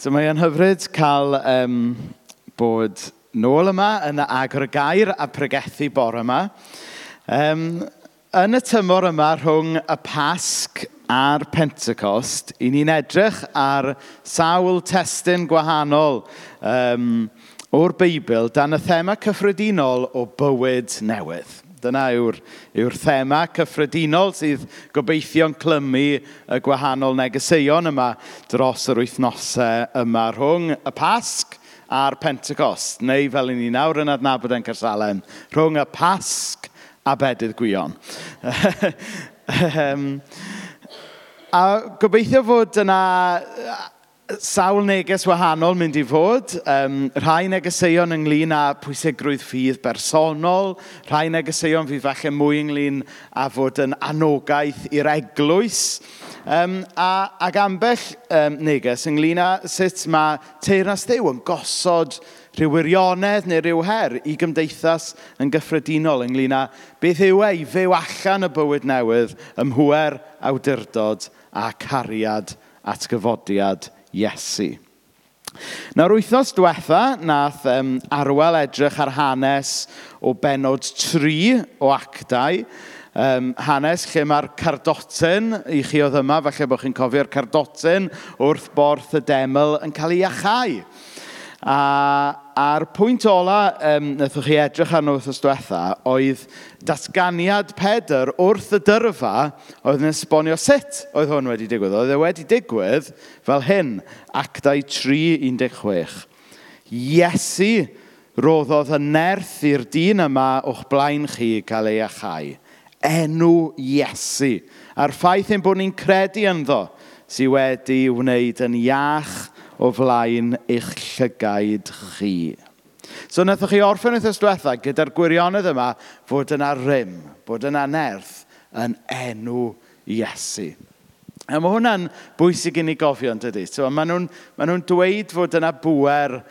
So mae e'n hyfryd cael bod nôl yma yn agor y gair a pregethu bore yma. Yn y tymor yma rhwng y Pasg a'r Pentecost, i ni'n edrych ar sawl testun gwahanol o'r Beibl dan y thema cyffredinol o bywyd newydd. Dyna yw'r thema cyffredinol sydd gobeithio'n clymu y gwahanol negeseuon yma dros yr wythnosau yma rhwng y Pasg a'r Pentecost, neu fel i ni nawr yn adnabod yn Caersalem, rhwng y Pasg a Bedydd Gwion. A gobeithio fod yna sawl neges wahanol mynd i fod. Rhai negeseuon ynglyn â pwysigrwydd ffydd bersonol, rhai negeseuon fydd falle mwy ynglyn â fod yn anogaeth i'r eglwys, ac ambell neges ynglyn â sut mae teyrnas Dduw yn gosod rhyw wirionedd neu rhyw her i gymdeithas yn gyffredinol ynglyn â beth yw e i fyw allan y bywyd newydd ym mhŵer awdurdod a cariad atgyfodiad Iesu. Nawr, wythnos diwetha, nath Arwel edrych ar hanes o bennod 3 o Actau. Hanes lle mae'r cardotyn, i chi oedd yma, falle bod chi'n cofio'r cardotyn wrth borth y deml yn cael ei iachau. A'r pwynt ola wnaethoch chi edrych arno wythnos diwetha oedd datganiad Pedr wrth y dyrfa oedd yn esbonio sut oedd hwn wedi digwydd. Oedd e wedi digwydd fel hyn, Actau 3:16. Iesu roddodd y nerth i'r dyn yma o'ch blaen chi cael ei iachau. Enw Iesu. A'r ffaith ein bod ni'n credu ynddo sydd wedi wneud yn iach o flaen eich llygaid chi. So wnaethoch chi orffen wythnos diwetha gyda'r gwirionedd yma fod yna rym, bod yna nerth yn enw Iesu. A mae hwnna'n bwysig i ni gofio, yn dydi? So, maen nhw'n dweud fod yna bŵer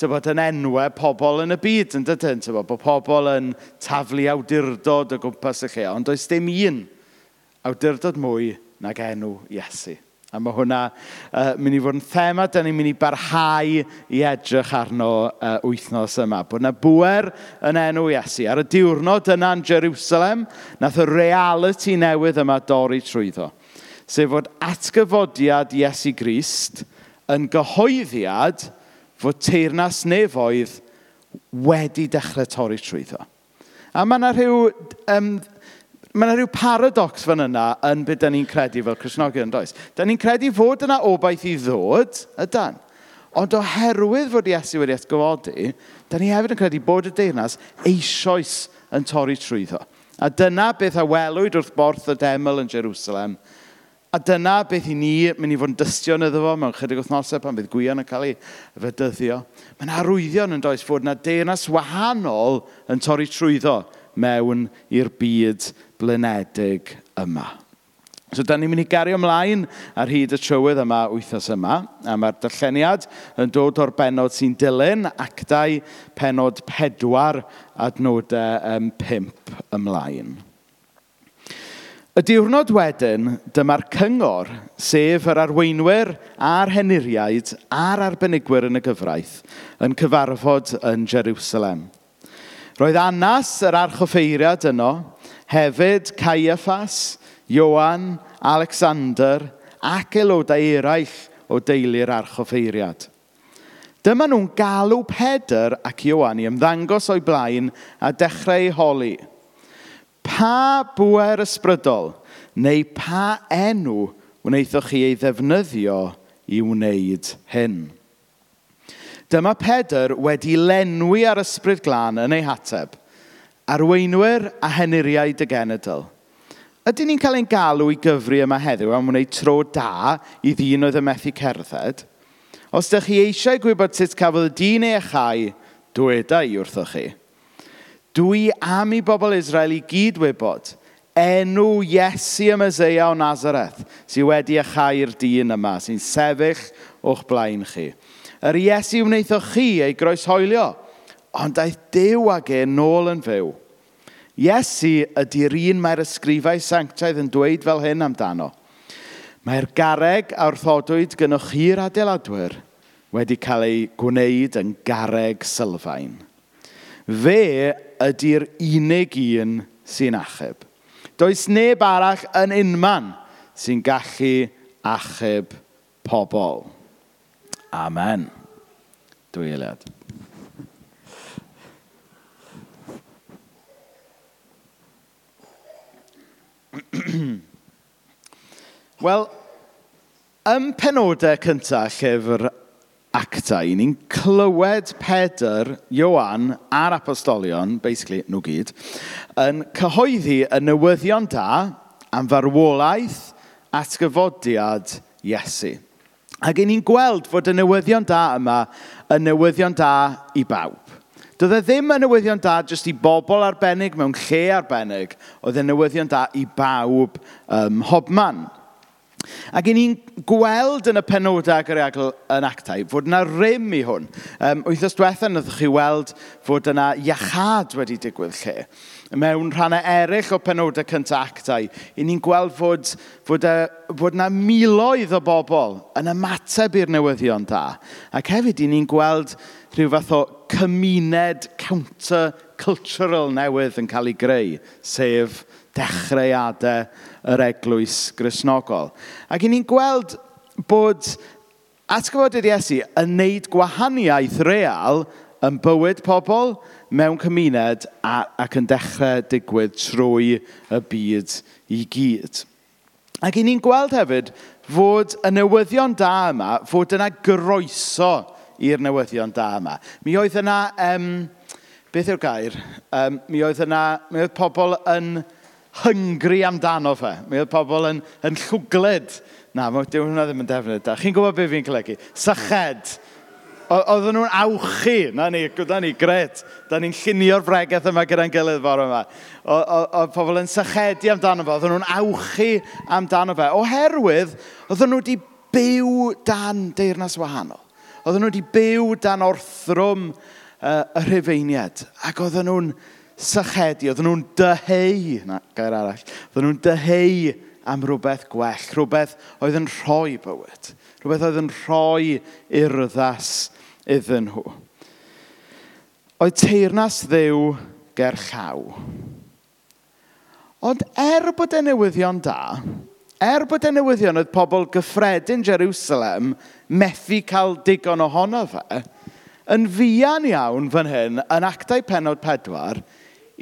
bod yn enwau pobl yn y byd, yn dydyn? Bod pobl yn taflu awdurdod o gwmpas y lle, ond does dim un awdurdod mwy nag enw Iesu. A mae hwnna mynd i fod yn thema dan ni'n mynd i barhau i edrych arno wythnos yma. Bod yna bŵer yn enw Iesu. Ar y diwrnod yna yn Jerusalem, nath y realiti newydd yma dorri trwyddo. Sef fod atgyfodiad Iesu Grist yn gyhoeddiad fod teyrnas nefoedd wedi dechrau torri trwyddo. A mae yna rhyw paradox fan yna yn beth dan ni'n credu fel Cristnogion, does? Dan ni'n credu fod yna obaith i ddod, ydan. Ond oherwydd fod Iesu wedi atgyfodi, dan ni hefyd yn credu bod y deyrnas eisoes yn torri trwyddo. A dyna beth a welwyd wrth borth y deml yn Jerusalem. A dyna beth i ni mynd i fod yn dystion iddo fo mewn chydig wythnosau pan bydd Gwion yn cael ei fedyddio. Mae'n arwyddion yn does fod yna deyrnas wahanol yn torri trwyddo mewn i'r byd blinedig yma. So, da ni'n mynd i gario ymlaen ar hyd y trywydd yma wythnos yma, a mae'r darlleniad yn dod o'r bennod sy'n dilyn, Actau pennod 4, adnodau 5 ymlaen. Y diwrnod wedyn, dyma'r cyngor, sef yr arweinwyr a'r henuriaid a'r arbenigwyr yn y gyfraith, yn cyfarfod yn Jerusalem. Roedd Annas, yr archoffeiriad yno, hefyd Caiaffas, Ioan, Alexander ac aelodau eraill o deulu'r archoffeiriad. Dyma nhw'n galw Pedr ac Ioan i ymddangos o'i blaen a dechrau eu holi. Pa bŵer ysbrydol neu pa enw wnaethoch chi ei ddefnyddio i wneud hyn? Dyma Pedr wedi lenwi ar ysbryd glân yn ei hateb, arweinwyr a henuriaid y genedl. Ydyn ni'n cael ein galw i gyfri yma heddiw am wneud tro da i ddyn oedd yn methu cerdded? Os ydych chi eisiau gwybod sut cafodd y dyn ei achau, dweda i wrthoch chi. Dwi am i bobl Israel i gyd wybod enw Iesu y Meseia o Nazareth sydd wedi achau'r dyn yma, sy'n sefyll o'ch blaen chi. Yr Iesu wnaethoch chi ei groeshoelio, ond daeth Duw ag e nôl yn fyw. Iesu ydy'r un mae'r ysgrifau sanctaidd yn dweud fel hyn amdano. Mae'r garreg a wrthodwyd gynnwch chi'r adeiladwyr wedi cael ei gwneud yn garreg sylfaen. Fe ydy'r unig un sy'n achub. Does neb arall yn unman sy'n gallu achub pobl. Amen. 2 eiliad. Wel, ym penodau cyntaf llyfr Actau, ni'n clywed Pedr, Ioan a'r apostolion, basically nhw gyd, yn cyhoeddi y newyddion da am farwolaeth atgyfodiad Iesu. Ac ni'n gweld fod y newyddion da yma yn newyddion da i bawb. Doedd e ddim yn newyddion da jyst i bobl arbennig mewn lle arbennig, oedd e'n newyddion da i bawb ym mhobman. Ac i ni'n gweld yn y penodau agoriadol yn Actau fod yna rym i hwn. Wythnos diwetha wnaethoch chi weld fod yna iachâd wedi digwydd lle. Mewn rhannau eraill o penodau cyntaf Actau, i ni'n gweld fod yna miloedd o bobl yn ymateb i'r newyddion da. Ac hefyd i ni'n gweld rhyw fath o cymuned counter-cultural newydd yn cael ei greu, sef dechreuadau yr Eglwys Gristnogol. Ac i ni'n gweld bod atgyfodiad Iesu yn neud gwahaniaeth real yn bywyd pobl mewn cymuned ac yn dechrau digwydd trwy y byd i gyd. Ac i ni'n gweld hefyd fod y newyddion da yma, fod yna groeso i'r newyddion da yma. Mi oedd yna, beth yw'r gair? Mi oedd pobl yn hungry amdano fe. Mi oedd pobl yn llwglyd. Na, dyw hwnna ddim yn defnydd da. Chi'n gwybod beth fi'n golygu? Syched. Oedden nhw'n awchu. Na ni, gret. Da ni'n llunio'r bregeth yma gyda'n gilydd bore yma. Oedd pobl yn sychedu amdano fe. Oedden nhw'n awchu amdano fe. Oherwydd, oedden nhw wedi byw dan deyrnas wahanol. Oedden nhw wedi byw dan orthrwm y Rhufeiniaid. Ac oedden nhw'n sychedu, oedden nhw'n dyheu, na, gair arall, oedden nhw'n dyheu am rhywbeth gwell, rhywbeth oedd yn rhoi bywyd, rhywbeth oedd yn rhoi urddas iddyn nhw. Oedd teyrnas Dduw ger llaw. Ond bod y newyddion da, bod y newyddion oedd pobl gyffredin Jerusalem methu cael digon ohono fe, yn fuan iawn fan hyn, yn Actau pennod 4,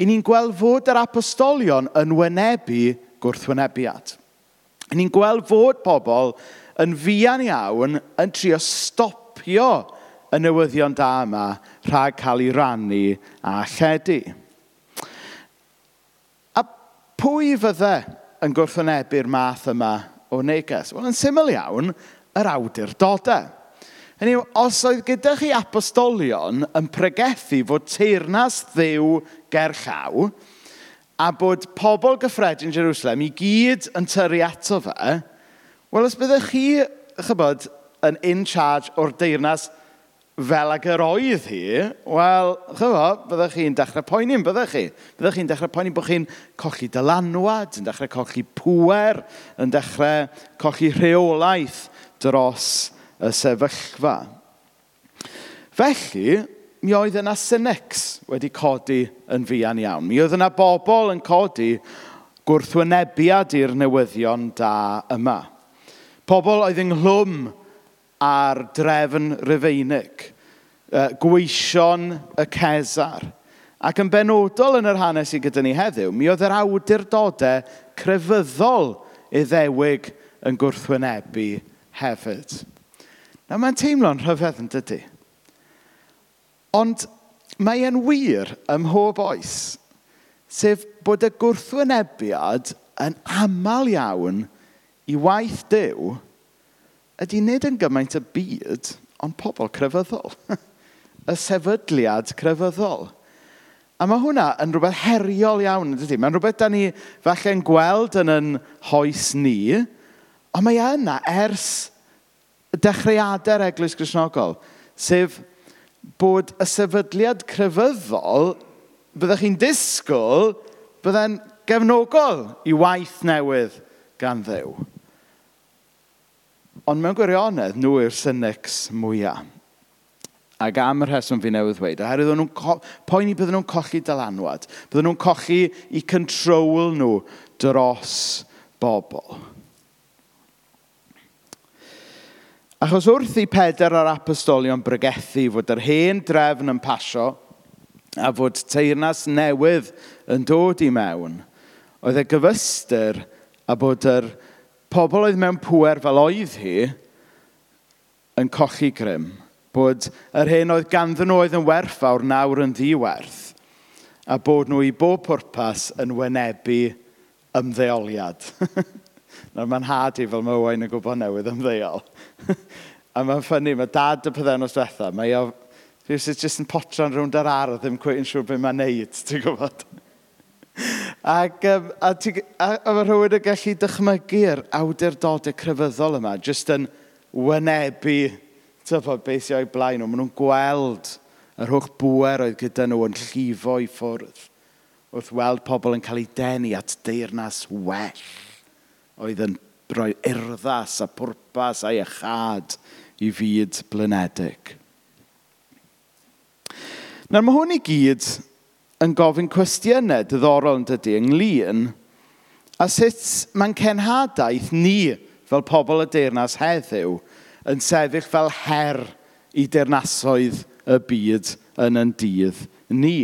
i ni'n gweld fod yr apostolion yn wynebu gwrthwynebiad. I ni'n gweld fod pobl yn fuan iawn yn trio stopio y newyddion da yma rhag cael ei rannu a lledu. A pwy fydde yn gwrthwynebu'r math yma o neges? Wel, yn syml iawn, yr awdurdodau. Hynny yw, os oedd gyda chi apostolion yn pregethu fod teyrnas Dduw ger llaw, a bod pobl gyffredin Jerusalem i gyd yn tyrru ato fe, wel, os byddech chi, chybod, yn in charge o'r deyrnas fel ag yr oedd hi, wel, chybod, byddech chi'n dechrau poeni, byddech chi? Byddech chi'n dechrau poeni bod chi'n colli dylanwad, yn dechrau colli pŵer, yn dechrau colli rheolaeth dros y sefyllfa. Felly, mi oedd yna cynics wedi codi yn fuan iawn. Mi oedd yna bobl yn codi gwrthwynebiad i'r newyddion da yma. Pobl oedd ynghlwm ar drefn Rufeinig, gweision y Cesar. Ac yn benodol yn yr hanes sydd gyda ni heddiw, mi oedd yr awdurdodau crefyddol Iddewig yn gwrthwynebu hefyd. Nawr, mae'n teimlo'n rhyfedd yn dydy. Ond mae e'n wir ym mhob oes, sef bod y gwrthwynebiad yn aml iawn i waith Duw ydy nid yn gymaint y byd, ond pobl crefyddol. Y sefydliad crefyddol. A mae hwnna yn rhywbeth heriol iawn, yn dydy? Mae'n rhywbeth da ni falle'n gweld yn yn hoes ni, ond mae e yna ers dechreuadau'r Eglwys Gristnogol, sef bod y sefydliad crefyddol, byddech chi'n disgwyl, bydde'n gefnogol i waith newydd gan Dduw. Ond mewn gwirionedd, nhw yw'r cynics mwyaf. Ac am y rheswm fi newydd ddweud, oherwydd o'n nhw'n poeni bydden nhw'n colli dylanwad. Bydden nhw'n colli eu control nhw dros bobl. Achos wrth i Pedr a'r apostolion bregethu fod yr hen drefn yn pasio a fod teyrnas newydd yn dod i mewn, oedd e gyfystyr a bod yr pobl oedd mewn pŵer fel oedd hi yn colli grym. Bod yr hyn oedd ganddyn nhw oedd yn werthfawr nawr yn ddiwerth, a bod nhw i bob pwrpas yn wynebu ymddeoliad. Nawr mae'n nhad i fel mae Owain yn gwybod newydd ymddeol. A mae'n ffynnu, mae dad y pythefnos diwetha, mae o rhywsut jyst yn potran rownd yr ardd, ddim cweit yn siŵr beth mae'n neud, ti'n gwybod? Ac, a, ti, a mae rhywun yn gallu dychmygu'r awdurdodau crefyddol yma, jyst yn wynebu tybod, beth sy'n o'i blaen nhw. Maen nhw'n gweld yr holl bŵer oedd gyda nhw yn llifo i ffwrdd wrth weld pobl yn cael eu denu at deyrnas well oedd yn rhoi urddas a pwrpas a iachâd i fyd blinedig. Nawr mae hwn i gyd yn gofyn cwestiynau diddorol yn dydy ynglyn a sut mae'n cenhadaeth ni fel pobl y deyrnas heddiw yn sefyll fel her i deyrnasoedd y byd yn yn dydd ni.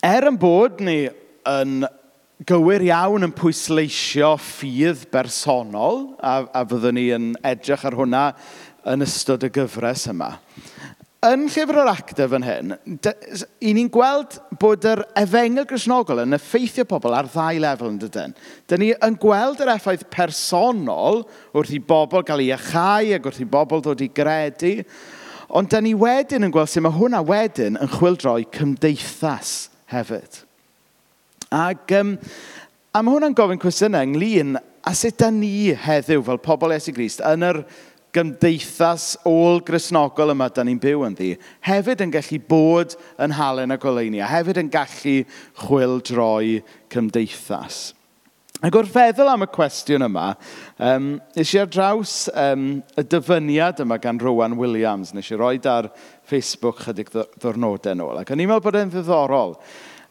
Er yn bod ni yn gywir iawn yn pwysleisio ffydd bersonol, a fyddwn ni yn edrych ar hwnna yn ystod y gyfres yma. Yn Llyfr yr Actau fan hyn, i ni'n gweld bod yr efengyl Gristnogol yn effeithio pobl ar ddau lefel yn dydyn. Dyn ni yn gweld yr effaith personol wrth i bobl gael eu iachau ac wrth i bobl ddod i gredu, ond dyn ni wedyn yn gweld sut mae hwnna wedyn yn chwyldroi cymdeithas hefyd. Ac a mae hwnna'n gofyn cwestiynau ynglyn â sut da ni heddiw fel pobl Iesu Grist yn yr gymdeithas ôl-Gristnogol yma da ni'n byw ynddi, hefyd yn gallu bod yn halen a goleuni, a hefyd yn gallu chwyldroi cymdeithas. Ac wrth feddwl am y cwestiwn yma, nes i ar draws y dyfyniad yma gan Rowan Williams, nes i roed ar Facebook chydig ddwrnodau nôl, ac o'n i'n meddwl bod e'n ddiddorol.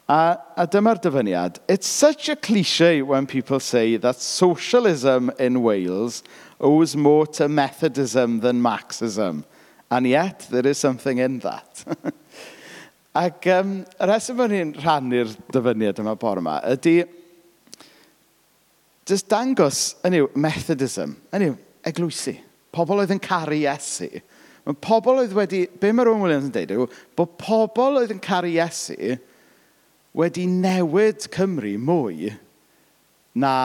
A dyma'r dyfyniad. It's such a cliché when people say that socialism in Wales owes more to Methodism than Marxism. And yet, there is something in that. Ac y rheswm bod ni'n rhannu'r dyfyniad yma bore yma ydy jyst dangos, hynny yw, Methodism, hynny yw, eglwysi. Pobl oedd yn caru Iesu. Mae pobl oedd wedi, be mae Rowan Williams yn deud yw, bod pobl oedd yn caru Iesu wedi newid Cymru mwy na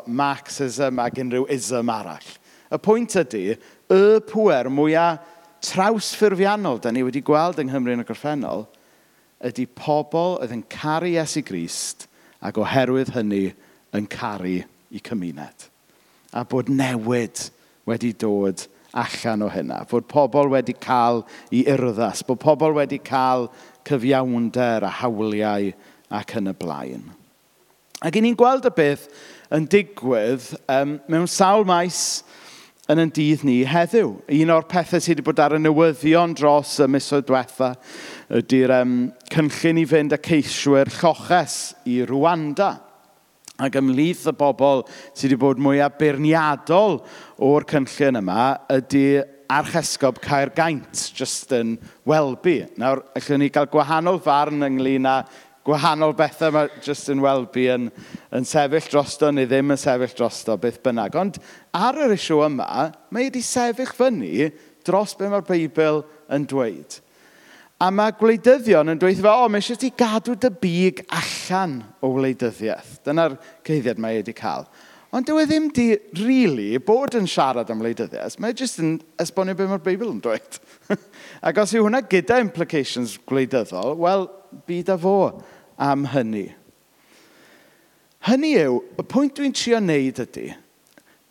Marxism ac unrhyw ism arall. Y pwynt ydy, y pŵer mwyaf trawsffurfiannol da ni wedi gweld yng Nghymru yn y gorffennol ydy pobl oedd yn caru Iesu Grist ac oherwydd hynny yn caru eu cymuned. A bod newid wedi dod allan o hynna. Fod pobl wedi cael eu urddas, bod pobl wedi cael cyfiawnder a hawliau ac yn y blaen. Ac i ni'n gweld y beth yn digwydd mewn sawl maes yn ein dydd ni heddiw. Un o'r pethau sydd wedi bod ar y newyddion dros y misoedd diwetha ydy'r cynllun i fynd â ceiswyr lloches i Rwanda. Ac ymhlith y bobl sydd wedi bod mwyaf beirniadol o'r cynllun yma ydy Archesgob Caergaint, Justin Welby. Nawr, allwn ni gael gwahanol farn ynglyn â gwahanol bethau mae Justin Welby yn sefyll drosto neu ddim yn sefyll drosto, beth bynnag. Ond ar yr issue yma, mae wedi sefyll fyny dros be mae'r Beibl yn dweud. A mae gwleidyddion yn dweud, o, mae eisiau ti gadw dy big allan o wleidyddiaeth. Dyna'r cyhuddiad mae wedi cael. Ond dyw e ddim di really bod yn siarad am wleidyddiaeth. Mae e jyst yn esbonio beth mae'r Beibl yn dweud. Ac os yw hwnna gyda implications gwleidyddol, wel, byd â fo am hynny. Hynny yw, y pwynt dwi'n trio wneud ydy,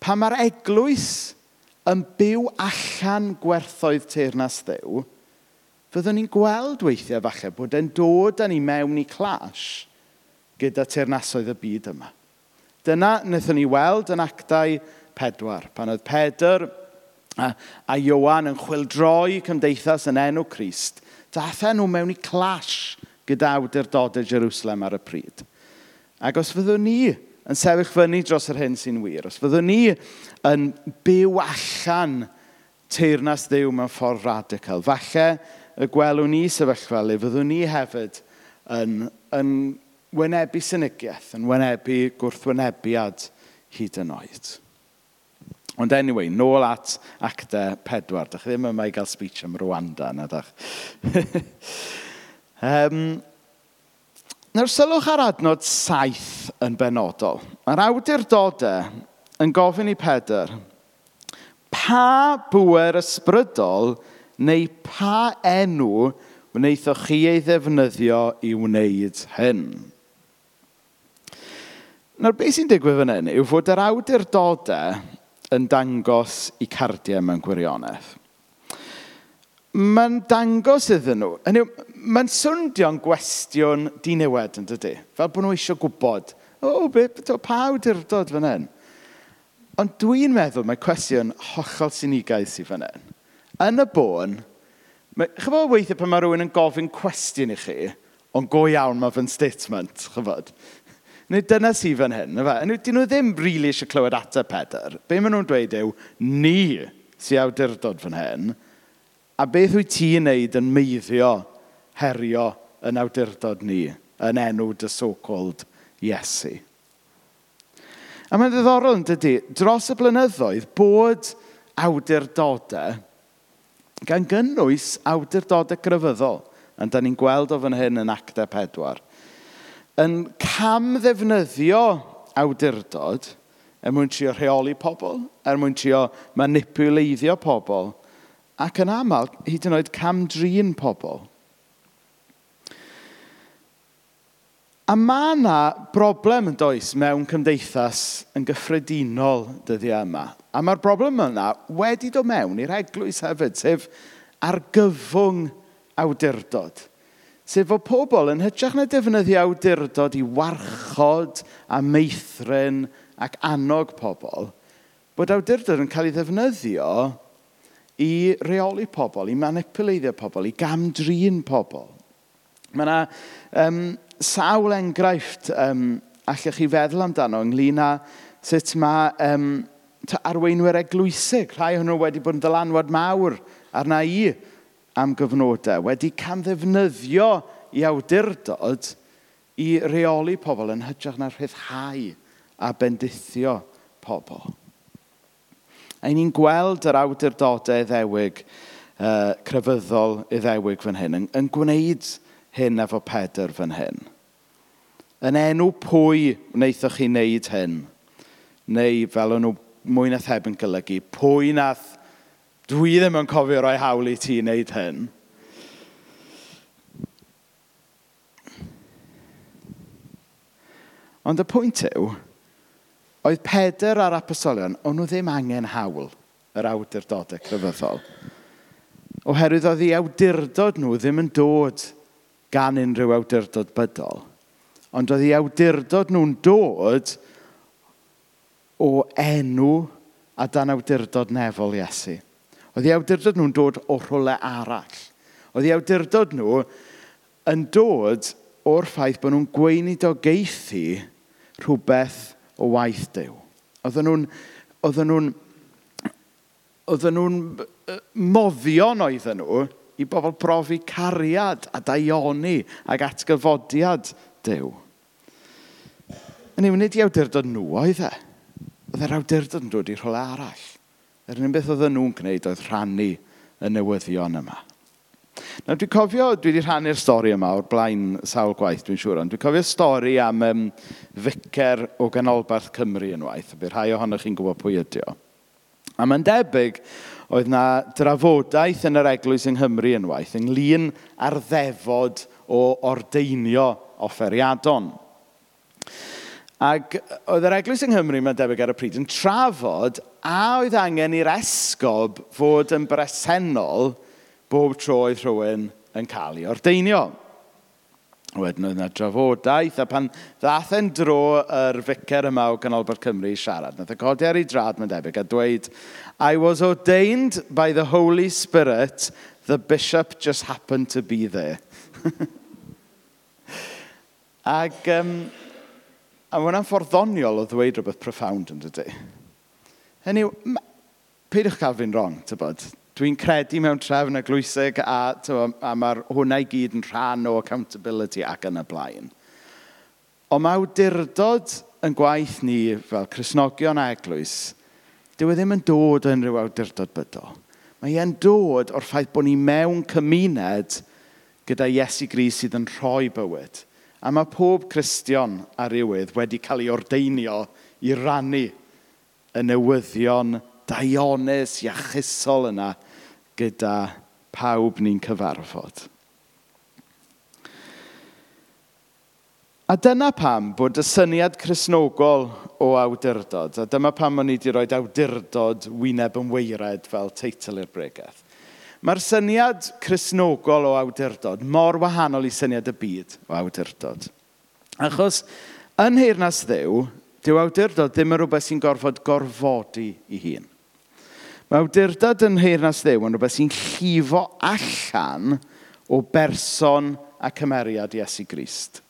pan mae'r eglwys yn byw allan gwerthoedd teyrnas Dduw, fyddwn ni'n gweld weithiau falle bod e'n dod â ni mewn i clash gyda teyrnasoedd y byd yma. Dyna wnaethon ni weld yn Actau 4, pan oedd Pedr a Ioan yn chwyldroi cymdeithas yn enw Crist, daethon nhw mewn i clash gyda awdurdodau Jerusalem ar y pryd. Ac os fyddwn ni yn sefyll fyny dros yr hyn sy'n wir, os fyddwn ni yn byw allan teyrnas Dduw mewn ffordd radical, falle y gwelwn ni sefyllfa le fyddwn ni hefyd yn wynebu synigiaeth, yn wynebu gwrthwynebiad hyd yn oed. Ond anyway, nôl at Actau 4. Dach chi ddim yma i gael speech am Rwanda, na dach? Nawr, sylwch ar adnod 7 yn benodol. Mae'r awdurdodau yn gofyn i Pedr, pa bŵer ysbrydol neu pa enw wnaethoch chi ei ddefnyddio i wneud hyn? Nawr, beth sy'n digwydd fan hyn yw fod yr awdurdodau yn dangos eu cardiau mewn gwirionedd. Mae'n dangos iddyn nhw. Hynny yw, mae'n swndio'n gwestiwn diniwed, yn dydi? Fel bod nhw eisiau gwybod, o, pa awdurdod fan hyn? Ond dwi'n meddwl mae cwestiwn hollol sinigaidd sydd fan hyn. Yn y bôn, chibod weithiau pan mae rhywun yn gofyn cwestiwn i chi, ond go iawn mae fe'n statement, chibod? Neu dyna sydd fan hyn, na fe? Hynny yw, dyn nhw ddim rili eisiau clywed ateb Pedr. Be maen nhw'n dweud yw, ni sy'n awdurdod fan hyn, a beth wyt ti'n neud yn meiddio herio yn awdurdod ni, yn enw dy so-called Iesu. A mae'n ddiddorol yn dydi, dros y blynyddoedd, bod awdurdodau, gan gynnwys awdurdodau crefyddol, a da ni'n gweld o fan hyn yn Actau 4, yn camddefnyddio awdurdod er mwyn trio rheoli pobl, er mwyn trio manipuleiddio pobl, ac yn aml, hyd yn oed cam-drin pobl. A mae yna broblem yn does mewn cymdeithas yn gyffredinol dyddiau yma. A mae'r broblem yna wedi dod mewn i'r eglwys hefyd, sef argyfwng awdurdod. Sef fod pobl yn hytrach na defnyddio awdurdod i warchod a meithrin ac annog pobl, bod awdurdod yn cael ei ddefnyddio i reoli pobl, i manipuleiddio pobl, i gam-drin pobl. Mae yna sawl enghraifft allech chi feddwl amdano ynglyn â sut mae arweinwyr eglwysig, rhai ohonyn nhw wedi bod yn ddylanwad mawr arna i am gyfnodau, wedi camddefnyddio i awdurdod i reoli pobl yn hytrach na rhyddhau a bendithio pobl. A ni'n gweld yr awdurdodau Iddewig, crefyddol Iddewig fan hyn, yn gwneud hyn efo Pedr fan hyn. Yn enw pwy wnaethoch chi wneud hyn? Neu fel o'n nhw mwy na thebyg yn golygu, pwy nath dwi ddim yn cofio rhoi hawl i ti wneud hyn? Ond y pwynt yw, oedd Pedr a'r apostolion, o'n nhw ddim angen hawl yr awdurdodau crefyddol. Oherwydd oedd eu awdurdod nhw ddim yn dod gan unrhyw awdurdod bydol. Ond oedd eu awdurdod nhw'n dod o enw a dan awdurdod nefol Iesu. Oedd eu awdurdod nhw'n dod o rhywle arall. Oedd eu awdurdod nhw yn dod o'r ffaith bod nhw'n gweinidogaethu rhywbeth o waith Duw. Oedden nhw'n moddion oedden nhw i bobl brofi cariad a daioni ac atgyfodiad Duw. Hynny yw, nid i awdurdod nhw oedd e. Oedd yr awdurdod yn dod i rhywle arall. Yr unig beth oedden nhw'n gwneud oedd rhannu y newyddion yma. Nawr, dwi'n cofio, dwi wedi rhannu'r stori yma o'r blaen sawl gwaith, dwi'n siŵr, ond dwi'n cofio stori am ficer o ganolbarth Cymru unwaith, a bydd rhai ohonoch chi'n gwybod pwy ydi o. A mae'n debyg, oedd na drafodaeth yn yr eglwys yng Nghymru unwaith ynglyn â'r ddefod o ordeinio offeriadon. Ac oedd yr eglwys yng Nghymru, mae'n debyg ar y pryd, yn trafod a oedd angen i'r esgob fod yn bresennol bob tro oedd rhywun yn cael ei ordeinio. Wedyn oedd yna drafodaeth, a pan ddath e'n dro yr ficer yma o Ganolbarth Cymru i siarad, nath e codi ar ei drad, mae'n debyg, a dweud, "I was ordained by the Holy Spirit, the bishop just happened to be there." Ac a mae hwnna'n ffordd ddoniol o ddweud rhywbeth profound, yn dydy? Hynny yw, peidiwch cael fi'n wrong, tybod. Dwi'n credu mewn trefn eglwysig a, tybod, a mae'r hwnna i gyd yn rhan o accountability ac yn y blaen. Ond mae awdurdod yn gwaith ni fel Cristnogion a eglwys, dyw e ddim yn dod o unrhyw awdurdod bydol. Mae e'n dod o'r ffaith bod ni mewn cymuned gyda Iesu Grist sydd yn rhoi bywyd. A mae pob Cristion ar rywydd wedi cael ei ordeinio i rannu y newyddion daionus, iachusol yna gyda pawb ni'n cyfarfod. A dyna pam bod y syniad Cristnogol o awdurdod, a dyma pam o'n i wedi rhoi "Awdurdod wyneb yn waered" fel teitl i'r bregeth. Mae'r syniad Cristnogol o awdurdod mor wahanol i syniad y byd o awdurdod. Achos yn nheyrnas Dduw, dyw awdurdod ddim yn rhywbeth sy'n gorfod gorfodi ei hun. Mae awdurdod yn nheyrnas Dduw yn rhywbeth sy'n llifo allan o berson a cymeriad Iesu Grist.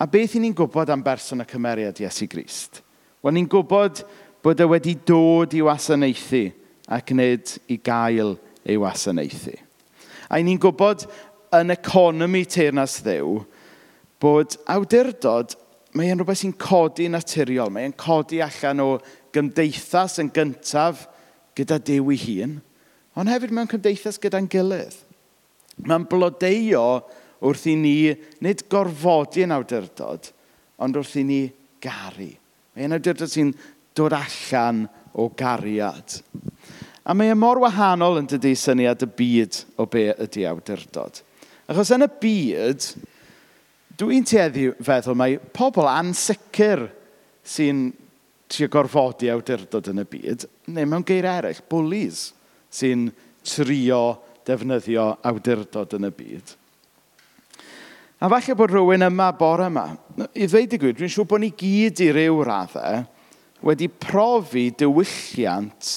A beth i ni'n gwybod am berson a cymeriad Iesu Grist? Wel, ni'n gwybod bod e wedi dod i wasanaethu ac nid i gael ei wasanaethu. A ni'n gwybod yn economi teyrnas Dduw bod awdurdod, mae e'n rhywbeth sy'n codi naturiol. Mae e'n codi allan o gymdeithas yn gyntaf gyda Duw ei hun, ond hefyd mewn cymdeithas gyda'n gilydd. Mae'n blodeuo wrth i ni nid gorfodi yn awdurdod, ond wrth i ni garu. Mae'n awdurdod sy'n dod allan o gariad. A mae e mor wahanol, yn dydy, syniad y byd o be ydy awdurdod. Achos yn y byd, dwi'n tueddu feddwl mai pobl ansicr sy'n trio gorfodi awdurdod yn y byd, neu mewn geiriau eraill, bullies sy'n trio defnyddio awdurdod yn y byd. A falle bod rhywun yma bore yma, i ddweud y gwir, dwi'n siŵr bod ni gyd i ryw raddau wedi profi diwylliant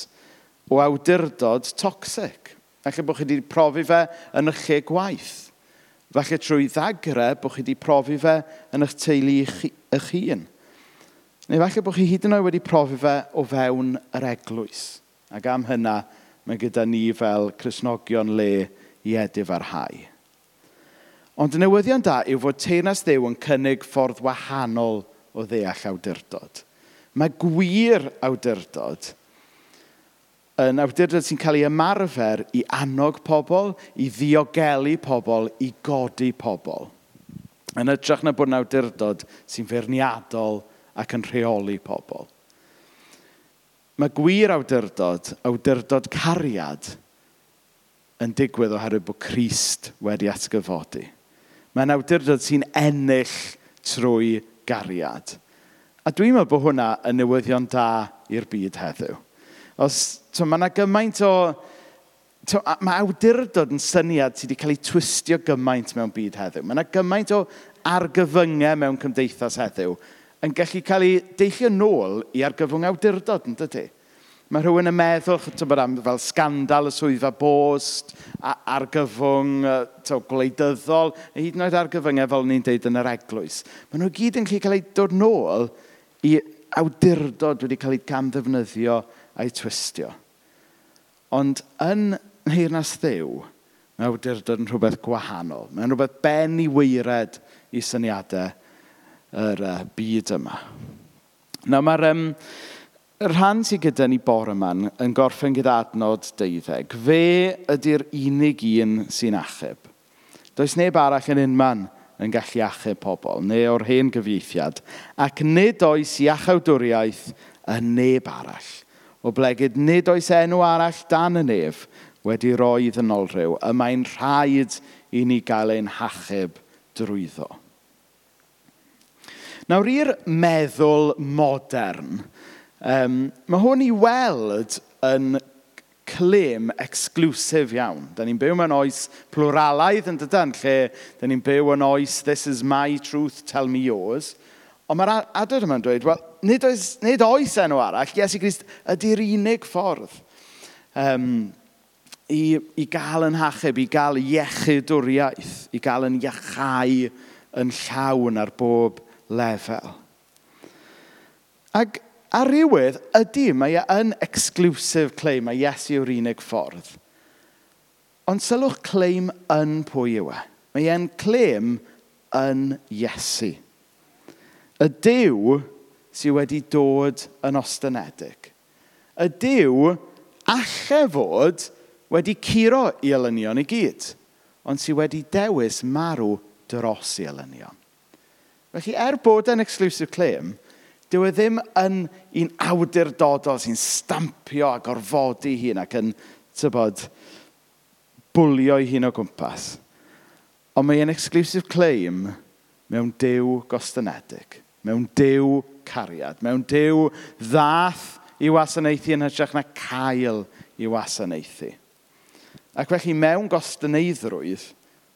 o awdurdod toxic. Falle bod chi wedi profi fe yn eich lle gwaith. Falle trwy ddagre bod chi wedi profi fe yn eich teulu eich hun. Neu falle bod chi hyd yn oed wedi profi fe o fewn yr eglwys. Ac am hynna, mae gyda ni fel Cristnogion le i edifarhau. Ond y newyddion da yw fod teyrnas Dduw yn cynnig ffordd wahanol o ddeall awdurdod. Mae gwir awdurdod yn awdurdod sy'n cael ei ymarfer i annog pobl, i ddiogelu pobl, i godi pobl. Yn hytrach na bod yn awdurdod sy'n feirniadol ac yn rheoli pobl. Mae gwir awdurdod, awdurdod cariad, yn digwydd oherwydd bod Crist wedi atgyfodi. Mae'n awdurdod sy'n ennill trwy gariad. A dwi'n meddwl bod hwnna yn newyddion da i'r byd heddiw. Os, to, mae yna gymaint o... To, mae awdurdod yn syniad sydd wedi cael ei twistio gymaint mewn byd heddiw. Mae yna gymaint o argyfyngau mewn cymdeithas heddiw yn gallu cael ei deillio nôl i argyfwng awdurdod, yn dydy? Mae rhywun yn meddwl, tybod, am fel sgandal y swyddfa bost, argyfwng to, gwleidyddol, neu hyd yn oed argyfyngau fel ni'n deud yn yr eglwys. Maen nhw gyd yn gallu cael eu dod nôl i awdurdod wedi cael ei gamddefnyddio a'i twistio. Ond yn nheyrnas Dduw, mae awdurdod yn rhywbeth gwahanol. Mae'n rhywbeth ben i waered i syniadau yr byd yma. Nawr mae'r y rhan sydd gyda ni bore yma yn gorffen gyda adnod 12. Fe ydy'r unig un sy'n achub. Does neb arall yn unman yn gallu achub pobl, neu o'r hen gyfieithiad. Ac nid oes iachawdwriaeth yn neb arall. Oblegid nid oes enw arall dan y nef wedi roi ddynolryw. Y mae'n rhaid i ni gael ein hachub drwyddo. Nawr, i'r meddwl modern, mae hwn i weld yn claim exclusive iawn. Da ni'n byw mewn oes pluralaidd yn dydan, lle da ni'n byw yn oes this is my truth, tell me yours. Ond mae'r adnod yma'n dweud, wel, nid oes enw arall, Iesu Grist ydy'r unig ffordd i gael yn hachub, i gael iechydwriaeth, i gael yn iachau yn llawn ar bob lefel. Ac ar rywydd, ydy, mae e yn exclusive claim, mae Iesu yw'r unig ffordd. Ond sylwch claim yn pwy yw e. Mae e'n claim yn Iesu. Y Duw sydd wedi dod yn ostynedig. Y Duw alle fod wedi curo i elynion i gyd, ond sydd wedi dewis marw dros i elynion. Felly, er bod e'n exclusive claim, dyw e ddim yn un awdurdodol sy'n stampio a gorfodi hun ac yn, tybod, bwlio ei hun o gwmpas. Ond mae e'n exclusive claim mewn Duw gostynedig, mewn Duw cariad, mewn Duw ddath i wasanaethu yn hytrach na cael i wasanaethu. Ac felly mewn gostyneiddrwydd,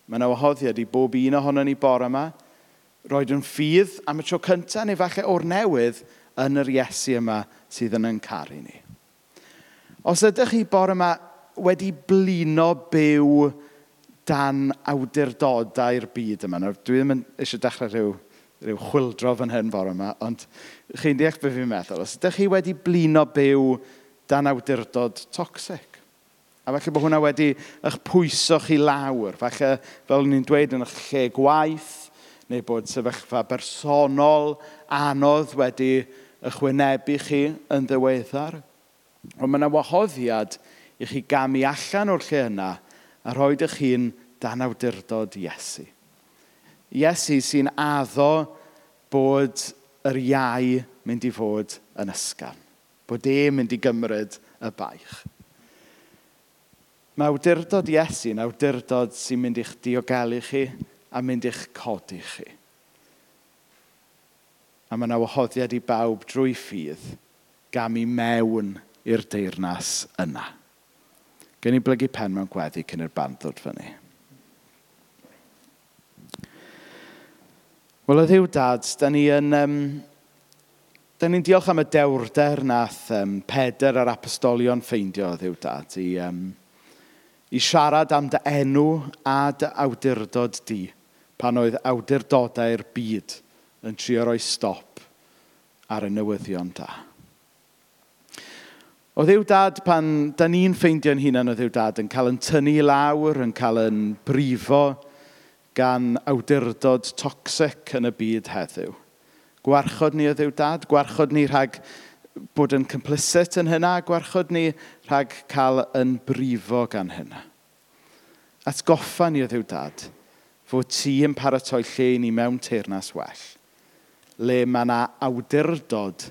mae yna wahoddiad i bob un ohonon ni bore yma, roed yn ffydd am y tro cyntaf neu falle o'r newydd yn yr Iesu yma sydd yn caru ni. Os ydych chi bore yma wedi blino byw dan awdurdodau'r byd yma, nawr dwi ddim yn eisiau dechrau rhyw chwyldro fan hyn bore yma, ond chi'n deall beth fi'n meddwl. Os ydych chi wedi blino byw dan awdurdod toxic, a falle bod hwnna wedi eich pwyso chi lawr, falle fel o'n i'n dweud yn eich lle gwaith, neu bod sefyllfa bersonol anodd wedi eich wynebu chi yn ddiweddar. Ond mae yna wahoddiad i chi gamu allan o'r lle yna a rhoi eich hun dan awdurdod Iesu. Iesu sy'n addo bod yr iau mynd i fod yn ysgafn. Bod e'n mynd i gymryd y baich. Mae awdurdod Iesu yn awdurdod sy'n mynd i'ch diogelu chi a mynd i'ch codi chi. A mae yna wahoddiad i bawb drwy ffydd gamu mewn i'r deyrnas yna. Gen i blygu pen mewn gweddi cyn i'r band ddod fyny. Wel, o Dduw Dad, da ni'n diolch am y dewrder nath Pedr a'r apostolion ffeindio, o Dduw Dad, i siarad am dy enw a dy awdurdod di, pan oedd awdurdodau'r byd yn trio rhoi stop ar y newyddion da. O Dduw Dad, pan da ni'n ffeindio'n hunan o Dduw Dad, yn cael yn tynnu i lawr, yn cael yn brifo gan awdurdod toxic yn y byd heddiw. Gwarchod ni o Dduw Dad, gwarchod ni rhag bod yn complicit yn hynna, gwarchod ni rhag cael yn brifo gan hynna. Atgoffa ni o Dduw Dad, fod ti yn paratoi lle i ni mewn teyrnas well, le mae yna awdurdod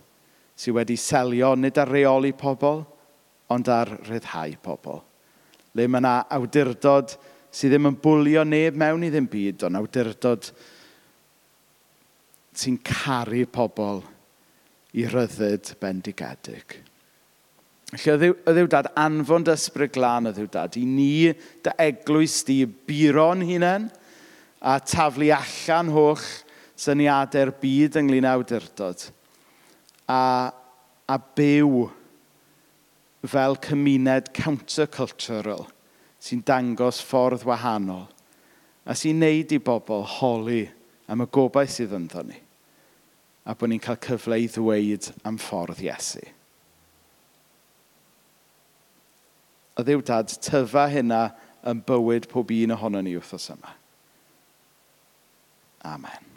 sydd wedi selio nid ar reoli pobl, ond ar ryddhau pobl. Le mae yna awdurdod sydd ddim yn bwlio neb mewn i ddim byd, ond awdurdod sy'n caru pobl i ryddid bendigedig. Felly, o Dduw Dad, anfon dy ysbryd glân o Dduw Dad, i ni dy eglwys di buro'n hunain a taflu allan holl syniadau'r byd ynglyn â awdurdod a byw fel cymuned countercultural sy'n dangos ffordd wahanol a sy'n neud i bobl holi am y gobaith sydd ynddo ni a bod ni'n cael cyfle i ddweud am ffordd Iesu. O Dduw Dad, tyfa hynna yn bywyd pob un ohonon ni wythnos yma. Amen.